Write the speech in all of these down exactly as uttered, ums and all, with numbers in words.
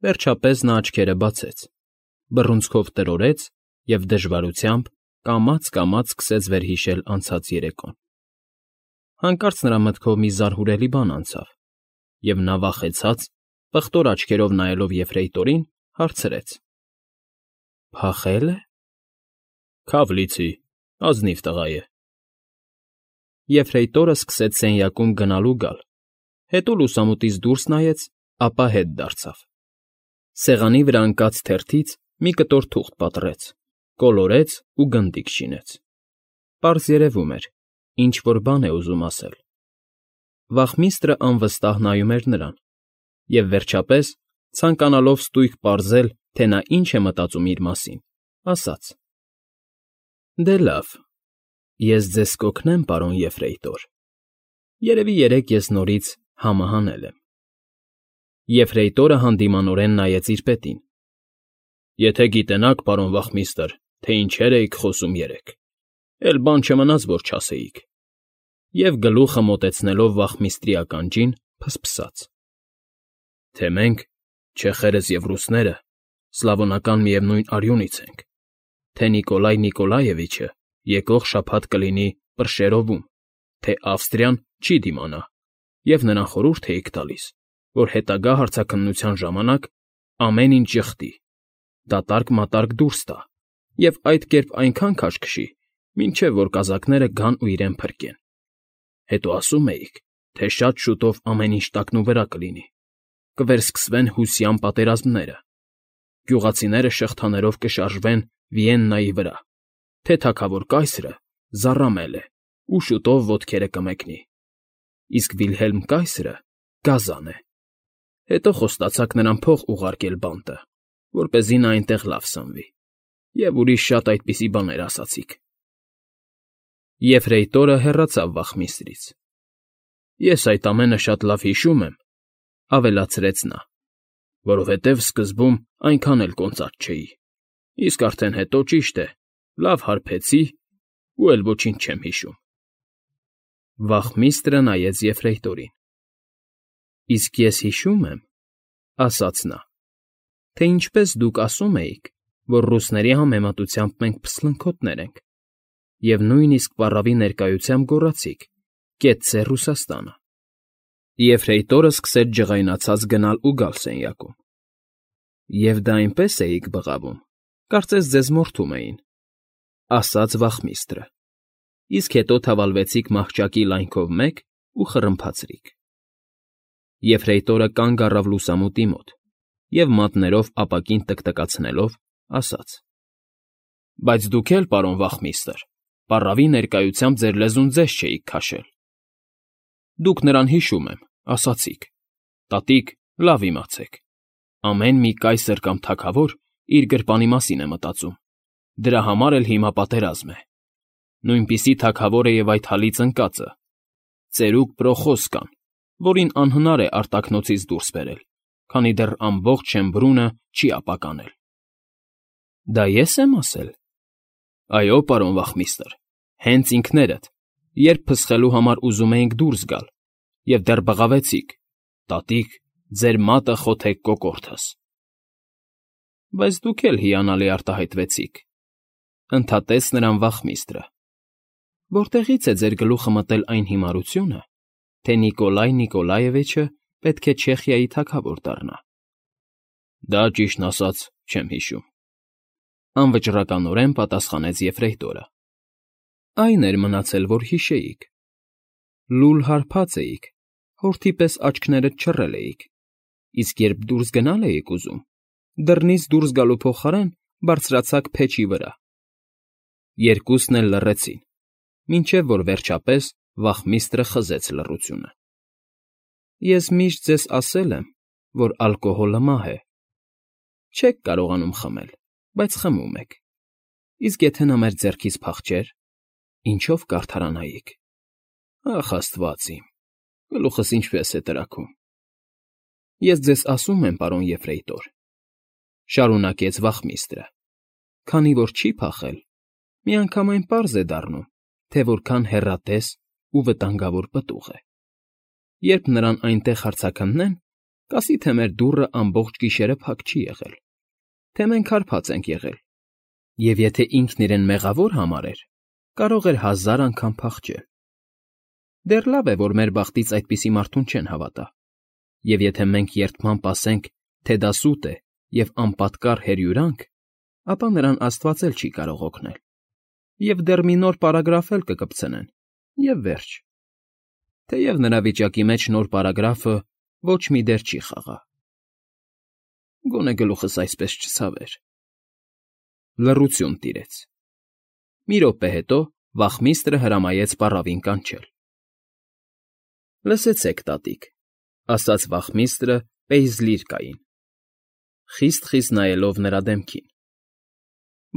Վերջապես նա աչքերը բացեց, բռունցքով տրորտեց և դժվարությամբ, կամաց֊կամաց սկսեց վերհիշել անցած երեկոն. Հանկարծ նրա մտքով մի զարհուրելի բան անցավ, և նա վախեցած, պղտոր աչքերով նայելով Եֆրեյտորին, հարցրեց. ֊ Փախե՞լ է։ ֊ Քավ լիցի, ազնիվ տղա է։ Եֆրեյտորը սկսեց սենյակում գնալ ու գալ, հետո լուսամուտից դուրս նայեց, ապա հետ դարձավ. սեղանի վրա ընկած թերթից մի կտոր թուղթ պատռեց, կոլորեց ու գնդիկ շինեց. պարզ երևում էր, ինչ֊որ բան է ուզում ասել։ Վախմիստրը անվստահ նայում էր նրան և, վերջապես, ցանկանալով ստույգ պարզել, թե նա ինչ է մտածում իր մասին, ասաց. ֊ Դե լավ, ես ձեզ կօգնեմ, պարոն Եֆրեյտոր, երևի երեկ ես նորից համը հանել եմ։ Եֆրեյտորը հանդիմանորեն նայեց իր պետին։ ֊ Եթե գիտենաք, պարոն վախմիստր, թե ինչեր էիք խոսում երեկ, էլ բան չմնաց, որ չասեիք։ Եվ գլուխը մոտեցնելով վախմիստրի ականջին, ֆսֆսաց. ֊ Թե մենք, չեխերս և ռուսները, սլավոնական միևնույն արյունից ենք, թե Նիկոլայ Նիկոլաևիչը եկող շաբաթ կլինի Պրշերովում, թե Ավստրիան չի դիմանա, և նրան խորհուրդ էիք տալիս, որ հետագա հարցաքննության ժամանակ ամեն ինչ ժխտի, դատարկ֊մատարկ դուրս տա և այդ կերպ այնքան քաշ քշի, մինչև որ կազակները գան ու իրեն փրկեն։ Հետո ասում էիք, թե շատ շուտով ամեն ինչ տակնուվրա կլինի, կվերսկսվեն հուսյան պատերազմները, գյուղացիները շղթաներով կշարժվեն Վիեննայի վրա, թե թագավոր կայսրը զառամել է ու շուտով ոտքերը կմեկնի, իսկ Վիլհելմ կայսրը գազան է։ Հետո խոստացաք նրան փող ուղարկել բանտը, որպեսզի նա այնտեղ լավ սնվի, և ուրիշ շատ այդպիսի բաներ ասացիք։ Եֆրեյտորը հեռացավ վախմիստրից։ ֊ Ես այդ ամենը շատ լավ հիշում եմ, ֊ ավելացրեց նա, ֊ որովհետև սկզբում այնքան էլ կոնծած չէի, իսկ արդեն հետո, ճիշտ է, լավ հարբեցի ու էլ ոչինչ չեմ հիշում։ Վախմիստրը նայեց Եֆրեյտորին։ ֊ Իսկ ես հիշում եմ, ֊ ասաց նա, ֊ թե ինչպես դուք ասում էիք, որ ռուսների համեմատությամբ մենք փսլնքոտներ ենք, և նույնիսկ պառավի ներկայությամբ գոռացիք. «Կեցցե Ռուսաստանը»։ Եֆրեյտորը սկսեց ջղայնացած գնալ ու գալ սենյակում։ ֊ Եվ դա այնպես էիք բղավում, կարծես ձեզ մորթում էին, ֊ ասաց վախմիստրը, իսկ հետո թավալվեցիք մահճակի լայնքով մեկ ու խռմփացրիք։ Եֆրեյտորը կանգ առավ լուսամուտի մոտ և, մատներով ապակին տկտկացնելով, ասաց. ֊ Բայց դուք էլ, պարոն վախմիստր, պառավի ներկայությամբ ձեր լեզուն ձեզ չէիք քաշել։ Դուք նրան, հիշում եմ, ասացիք. «Տատիկ, լավ իմացեք, ամեն մի կայսր կամ թագավոր իր գրպանի մասին է մտածում, դրա համար էլ հիմա պատերազմ է։ Նույնպիսի թագավոր է և այդ հալից ընկածը, ծերուկ Պրոխոսկան, որին անհնար է արտաքնոցից դուրս բերել, քանի դեռ ամբողջ Շեմբրունը չի ապականել»։ ֊ Դա ե՞ս եմ ասել։ ֊ Այո, պարոն վախմիստր, հենց ինքներդ, երբ փսխելու համար ուզում էինք դուրս գալ, և դեռ բղավեցիք. «Տատիկ, ձեր մատը խոթեք կոկորդս»։ ֊ Բայց դուք էլ հիանալի արտահայտվեցիք, ֊ ընդհատեց նրան վախմիստրը։ Որտեղի՞ց է ձեր գլուխը մտել այն հիմարությունը, թե Նիկոլայ Նիկոլաևիչը պետք է Չեխիայի թագավոր դառնա։ ֊ Դա, ճիշտն ասած, չեմ հիշում, ֊ անվճռականորեն պատասխանեց Եֆրեյտորը։ ֊ Այն էր մնացել, որ հիշեիք. լուլ հարբած էիք, հորթի պես աչքներդ չռել էիք, իսկ երբ դուրս գնալ էիք ուզում, դռնից դուրս գալու փոխարեն բարձրացաք փեչի վրա։ Երկուսն էլ լռեցին, մինչև որ վերջապես վախմիստրը խզեց լռությունը։ ֊ Ես միշտ ձեզ ասել եմ, որ ալկոհոլը մահ է։ Չեք կարողանում խմել, բայց խմում եք, իսկ եթե նա մեր ձեռքից փախչեր, ինչո՞վ կարդարանայիք։ Ախ, աստված իմ, գլուխս ինչպես է տրաքում։ Ես ձեզ ասում եմ, պարոն Եֆրեյտոր, ֊ շարունակեց վախմիստրը, ֊ քանի որ չի փախել, միանգամայն պարզ է դառնում, թե որքան հեռատես ու վտանգավոր պտուղ է։ Երբ նրան այնտեղ հարցաքննեն, Կասի թե մեր դուռը ամբողջ գիշերը փակ չի եղել, թե մենք հարբած ենք եղել, և եթե ինքն իրեն մեղավոր համարեր, կարող էր հազար անգամ փախչել։ Դեռ լավ է, որ մեր բախտից այդպիսի մարդուն չեն հավատա, և եթե մենք երդմամբ ասենք, թե դա սուտ է և անպատկառ հերյուրանք, ապա նրան Աստված էլ չի կարող օգնել, և դեռ մի նոր պարագրաֆ էլ կկպցնեն, և վերջ։ Թեև նրա վիճակի մեջ նոր պարագրաֆը ոչ մի դեր չի խաղա։ Գոնե գլուխս այսպես չցավեր։ Լռություն տիրեց։ Մի րոպե հետո վախմիստրը հրամայեց պառավին կանչել։ Լսեցեք, տատիկ, ասաց վախմիստրը Պեյզլիրկային, խիստ֊խիստ նայելով նրա դեմքին.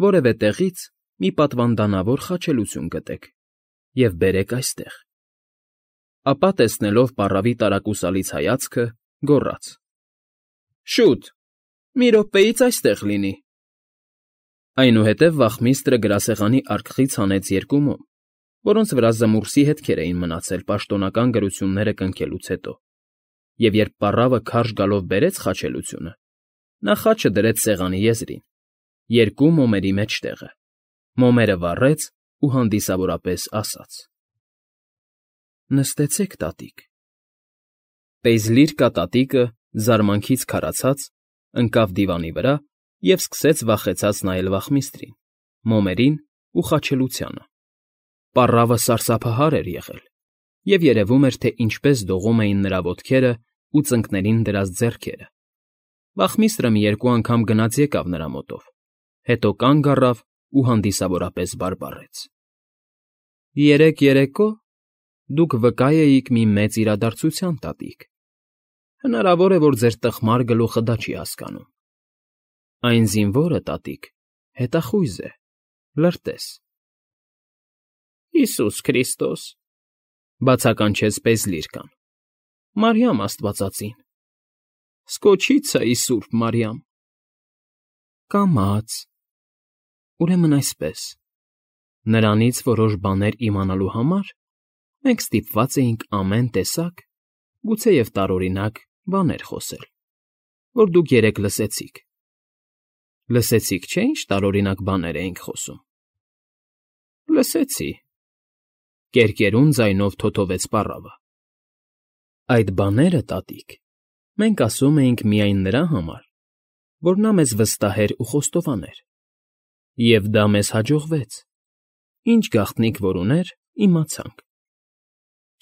որևէ տեղից մի պատվանդանավոր խաչելություն գտեք և բերեք այստեղ։ Ապա, տեսնելով պառավի տարակուսալից հայացքը, գոռաց. Շուտ, մի րոպեից այստեղ լինի։ Այնուհետև վախմիստրը գրասեղանի արկղից հանեց երկու մոմ, որոնց վրա զմուռսի հետքեր էին մնացել պաշտոնական գրությունները կնքելուց հետո, և երբ պառավը քարշ գալով բերեց խաչելությունը, նա խաչը դրեց սեղանի եզրին, երկու մոմերի մեջտեղը, մոմերը վառեց ու հանդիսավորապես ասաց. Նստեցեք, տատիկ։ Պեյզլիրկա տատիկը, զարմանքից քարացած, ընկավ դիվանի վրա և սկսեց վախեցած նայել վախմիստրին, մոմերին ու խաչելությանը։ Պառավը սարսափահար էր եղել, և երևում էր, թե ինչպես դողում էին նրա ոտքերն ու ծնկներին դրած ձեռքերը։ Վախմիստրը մի երկու անգամ գնաց եկավ նրա մոտով, հետո կանգ առավ ու հանդիսավորապես բարբառեց. Երեկ երեկո դուք վկա էիք մի մեծ իրադարձության, տատիկ։ Հնարավոր է, որ ձեր տխմար գլուխը դա չի հասկանում։ Այն զինվորը, տատիկ, հետախույզ է, լրտես։ Հիսուս Քրիստոս, բացականչեց Պեյզլիրկան, Մարիամ աստվածածին, Սկոչիցայի Սուրբ Մարիամ։ Կամաց։ Ուրեմն այսպես, նրանից որոշ բաներ իմանալու համար մենք ստիպված էինք ամեն տեսակ, գուցեև տարօրինակ բաներ խոսել, որ դուք երեկ լսեցիք։ Լսեցիք, չէ՞, ինչ տարօրինակ բաներ էինք խոսում։ Լսեցի, կերկերուն ձայնով թոթովեց պառավը։ Այդ բաները, տատիկ, մենք ասում էինք միայն նրա համար, որ նա մեզ վստահեր ու խոստովաներ։ Եվ դա մեզ հաջողվեց. ինչ գաղտնիք որ ուներ, իմացանք։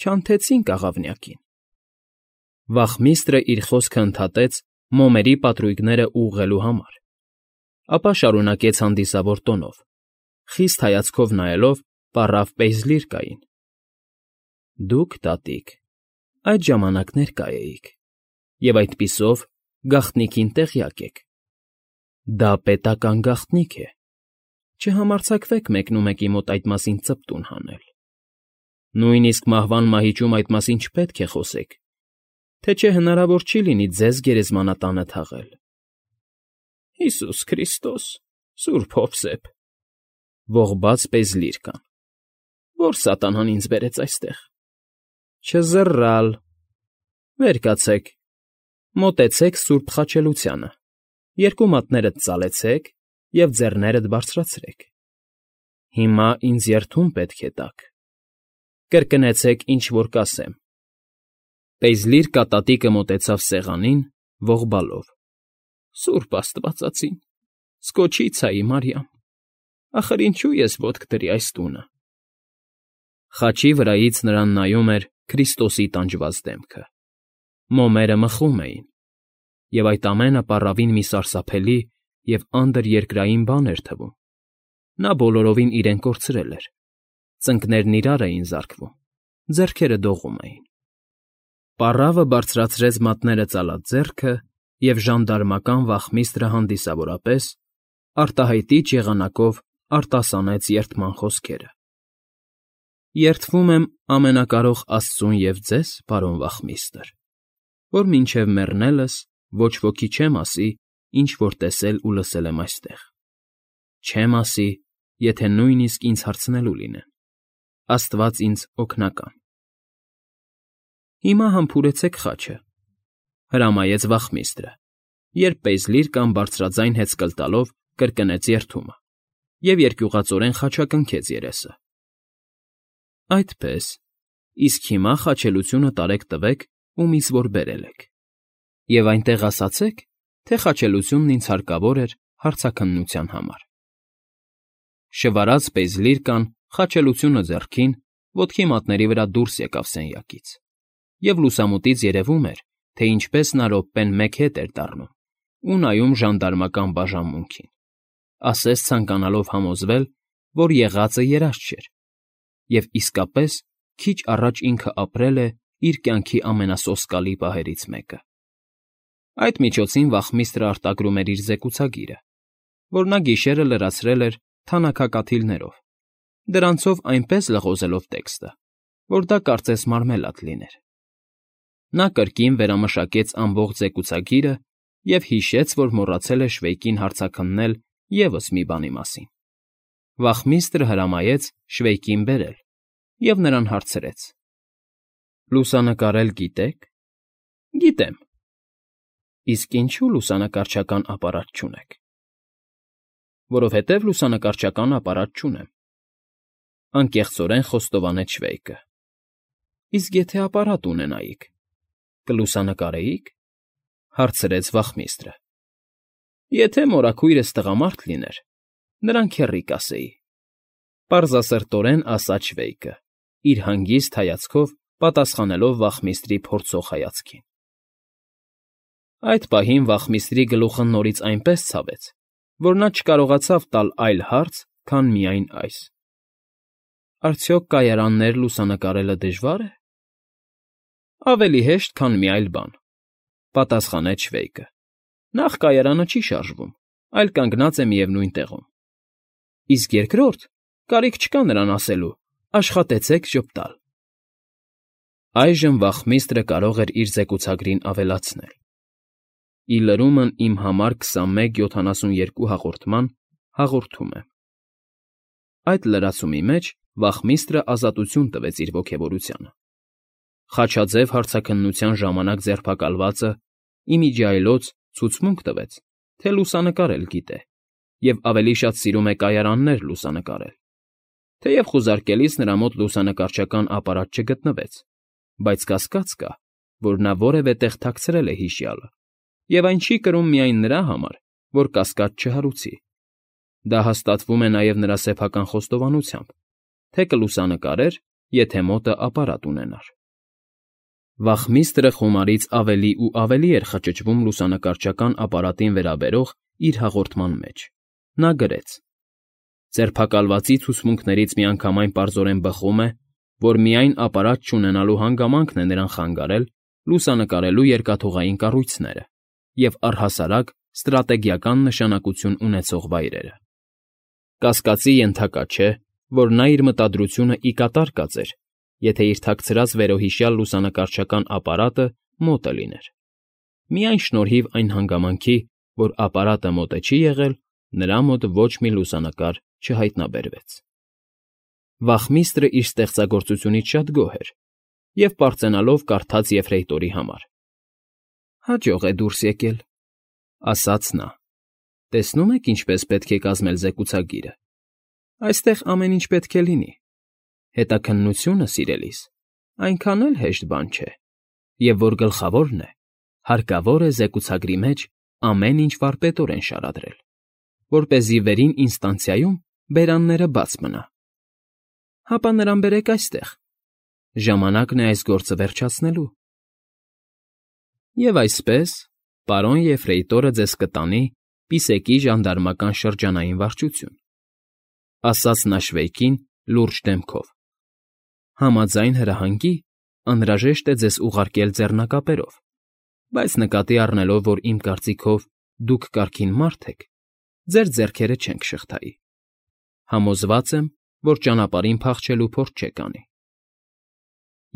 Չանթեցինք աղավնյակին։ Վախմիստրը իր խոսքը ընդհատեց մոմերի պատրույգները ուղղելու համար, ապա շարունակեց հանդիսավոր տոնով, խիստ հայացքով նայելով պառավ Պեյզլիրկային. Դուք, տատիկ, այդ ժամանակ ներկա էիք, և այդպիսով գաղտնիքին տեղյակ եք։ Դա պետական գաղտնիք է։ Չհամարձակվեք մեկնումեկի մոտ այդ մասին ծպտուն հանել։ Նույնիսկ մահվան մահիճում այդ մասին չպետք է խոսեք, թե չէ հնարավոր չի լինի ձեզ գերեզմանատանը թաղել։ Հիսուս Քրիստոս, Սուրբ Հովսեփ, ողբաց Պեյզլիրկան, որ սատանան ինձ բերեց այստեղ։ Չզռալ։ Վեր կացեք, մոտեցեք սուրբ խաչելությանը, երկու մատներդ ծալեցեք և ձեռներդ բարձրացրեք։ Հիմա ինձ երդում պետք է տաք։ Կրկնեցեք, ինչ որ կասեմ։ Պեյզլիրկա տատիկը մոտեցավ սեղանին, ողբալով. Սուրբ աստվածածին, Սկոչիցայի Մարիամ, ախր ինչու ես ոտք դրի այս տունը։ Խաչի վրայից նրան նայում էր Քրիստոսի տանջված դեմքը։ Մոմերը մխում էին, և այդ ամենը պառավին մի սարսափելի և անդրերկրային բան էր թվում։ Նա բոլորովին իրեն կորցրել էր։ Ծնկներն իրար էին զարկվում, ձեռքերը դողում էին։ Պառավը բարձրացրեց մատները ծալած ձեռքը և ժանդարմական վախմիստրը հանդիսավորապես արտահայտիչ եղանակով արտասանեց երդման խոսքերը. Երդվում եմ ամենակարող Աստծուն և ձեզ, պարոն վախմիստր, որ մինչև մեռնելս ոչ ոքի չեմ ասի, ինչ որ տեսել ու լսել եմ այստեղ։ Չեմ ասի, եթե նույնիսկ ինձ հարցնելու լինեն։ Աստված ինձ օգնական։ Հիմա համբուրեցեք խաչը, հրամայեց վախմիստրը, երբ Պեյզլիրկան բարձրաձայն հեծկլ տալով կրկնեց երդումը և երկյուղածորեն խաչակնքեց երեսը։ ֊ Այդպես, իսկ հիմա խաչելությունը տարեք տվեք, ում ինձ որ բերել եք, և այնտեղ ասացեք, թե խաչելությունն ինձ հարկավոր էր հարցաքննության համար։ Շվարած Պեյզլիրկան, խաչելությունը ձեռքին, ոտքի մատների վրա դուրս եկավ սենյակից, և լուսամուտից երևում էր, թե ինչպես նա րոպեն մեկ հետ էր դառնում ու նայում ժանդարմական բաժանմունքին, ասես ցանկանալով համոզվել, որ եղածը երազ չէր, և իսկապես քիչ առաջ ինքը ապրել է իր կյանքի ամենասոսկալի պահերից մեկը։ Այդ միջոցին վախմիստրը արտագրում էր իր զեկուցագիրը, որ նա գիշերը լրացրել էր թանաքակաթիլներով, դրանցով այնպես լղոզելով տեքստը, որ դա կարծես մարմելադ լիներ։ Նա կրկին վերամշակեց ամբողջ զեկուցագիրը և հիշեց, որ մոռացել է Շվեյկին հարցաքննել ևս մի բանի մասին։ Վախմիստրը հրամայեց Շվեյկին բերել և նրան հարցրեց. «Լուսանկարել գիտեք»։ ֊ Գիտեմ։ ֊ Իսկ ինչո՞ւ լուսանկարչական ապարատ չունեք։ ֊ Որովհետև լուսանկարչական ապարատ չունեմ,֊ անկեղծորեն խոստովանեց Շվեյկը։ ֊ Իսկ եթե ապարատ ունենայիք, կլուսանկարեի՞ք,֊ հարցրեց վախմիստրը։ ֊ Եթե մորաքույրս տղամարդ լիներ, նրան քեռի կասեի,֊ պարզասրտորեն ասաց Շվեյկը, իր հանգիստ հայացքով պատասխանելով վախմիստրի փորձող հայացքին։ Այդ պահին վախմիստրի գլուխը նորից այնպես ցավեց, որ նա չկարողացավ տալ այլ հարց, քան միայն այս. «Արդյոք կայարաններ լուսանկարելը դժվա՞ր է»։ ֊ Ավելի հեշտ, քան մի այլ բան,֊ պատասխանեց Շվեյկը։ Նախ կայարանը չի շարժվում, այլ կանգնած է միևնույն տեղում։ Իսկ երկրորդ, կարիք չկա նրան ասելու. «Աշխատեցեք ժպտալ»։ Այժմ վախմիստրը կարող էր իր զեկուցագրին ավելացնել. «Ի լրումն իմ համար քսանմեկ յոթանասունյերկու հաղորդման հաղորդում եմ»։ Այդ լրացումի մեջ վախմիստրը ազատություն տվեց իր ոգևորությանը։ Խաչաձև հարցաքննության ժամանակ ձերբակալվածը ի միջի այլոց ցուցմունք տվեց, թե լուսանկարել գիտե և ավելի շատ սիրում է կայարաններ լուսանկարել, թեև խուզարկելիս նրա մոտ լուսանկարչական ապարատ չգտնվեց, բայց կասկած կա, որ նա որևէ տեղ թաքցրել է հիշյալը, և այն չի կրում միայն նրա համար, որ կասկած չհարուցի։ Դա հաստատվում է նաև նրա սեփական խոստովանությամբ, թե կլուսանկարեր, եթե մոտը ապարատ ունենար։ Վախմիստրը խոմարից ավելի ու ավելի էր խճճվում լուսանկարչական ապարատին վերաբերող իր հաղորդման մեջ։ Նա գրեց. «Ձերբակալվածի ցուցմունքներից միանգամայն պարզորեն բխում է, որ միայն ապարատ չունենալու հանգամանքն է նրան խանգարել լուսանկարելու երկաթուղային կառույցները և առհասարակ ստրատեգիական նշանակություն ունեցող վայրերը։ Կասկածի ենթակա չէ, որ նա իր մտադրությունը ի կատար կածեր, եթե իր թաքցրած վերոհիշյալ լուսանկարչական ապարատը մոտը լիներ։ Միայն շնորհիվ այն հանգամանքի, որ ապարատը մոտը չի եղել, նրա մոտ ոչ մի լուսանկար չհայտնաբերվեց»։ Վախմիստրը իր ստեղծագործությունից շատ գոհ էր և պարծենալով կարդաց Եֆրեյտորի համար. «Հաջող է դուրս եկել,֊ ասաց նա։֊ Տեսնում եք, ինչպես պետք է կազմել զեկուցագիրը։ Այստեղ ամեն ինչ պետք է լինի։ Հետաքննությունը, սիրելիս, այնքան էլ հեշտ բան չէ, և որ գլխավորն է, հարկավոր է զեկուցագրի մեջ ամեն ինչ վարպետորեն շարադրել, որպեսզի վերին ինստանցիայում բերանները բաց մնա։ Հապա նրան բերեք այստեղ. ժամանակն է այս գործը վերջացնելու։ Եվ այսպես, պարոն Եֆրեյտորը ձեզ կտանի Պիսեկի ժանդարմական շրջանային վարչություն,֊ ասաց նա Շվեյկին լուրջ դեմքով։ Համաձայն հրահանգի անհրաժեշտ է ձեզ ուղարկել ձեռնակապերով, բայց նկատի առնելով, որ իմ կարծիքով դուք կարգին մարդ եք, ձեր ձեռքերը չենք շղթայի։ Համոզված եմ, որ ճանապարհին փախչելու փորձ չեք անի։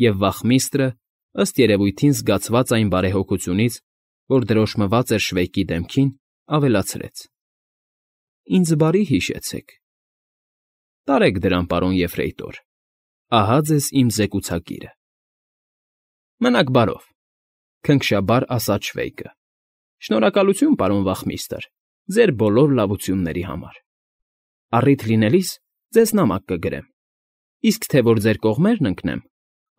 Եվ վախմիստրը, ըստ երևույթին զգացված այն բարեհոգությունից, որ դրոշմված էր Շվեյկի դեմքին, ավելացրեց. «Ինձ բարի հիշեցեք։ Տարեք դրան, պարոն Եֆրեյտոր, ահա ձեզ իմ զեկուցագիրը։ Մնաք բարով, Քնքշաբար ասաց Շվեյկը։ Շնորհակալություն, պարոն վախմիստր, ձեր բոլոր լավությունների համար։ Առիթ լինելիս ձեզ նամակ կգրեմ, իսկ թե որ ձեր կողմերն ընկնեմ,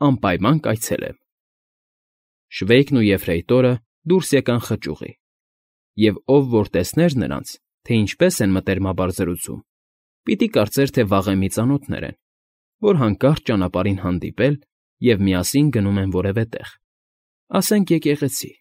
անպայման կայցելեմ։ Շվեյկն ու Եֆրեյտորը դուրս եկան խճուղի, և ով որ տեսներ նրանց, թե ինչպես են մտերմաբար զրուցում, պիտի կարծեր, թե վաղեմի ծանոթներ են, որ հանկարծ ճանապարհին հանդիպել և միասին գնում են որևէ տեղ, ասենք եկեղեցի։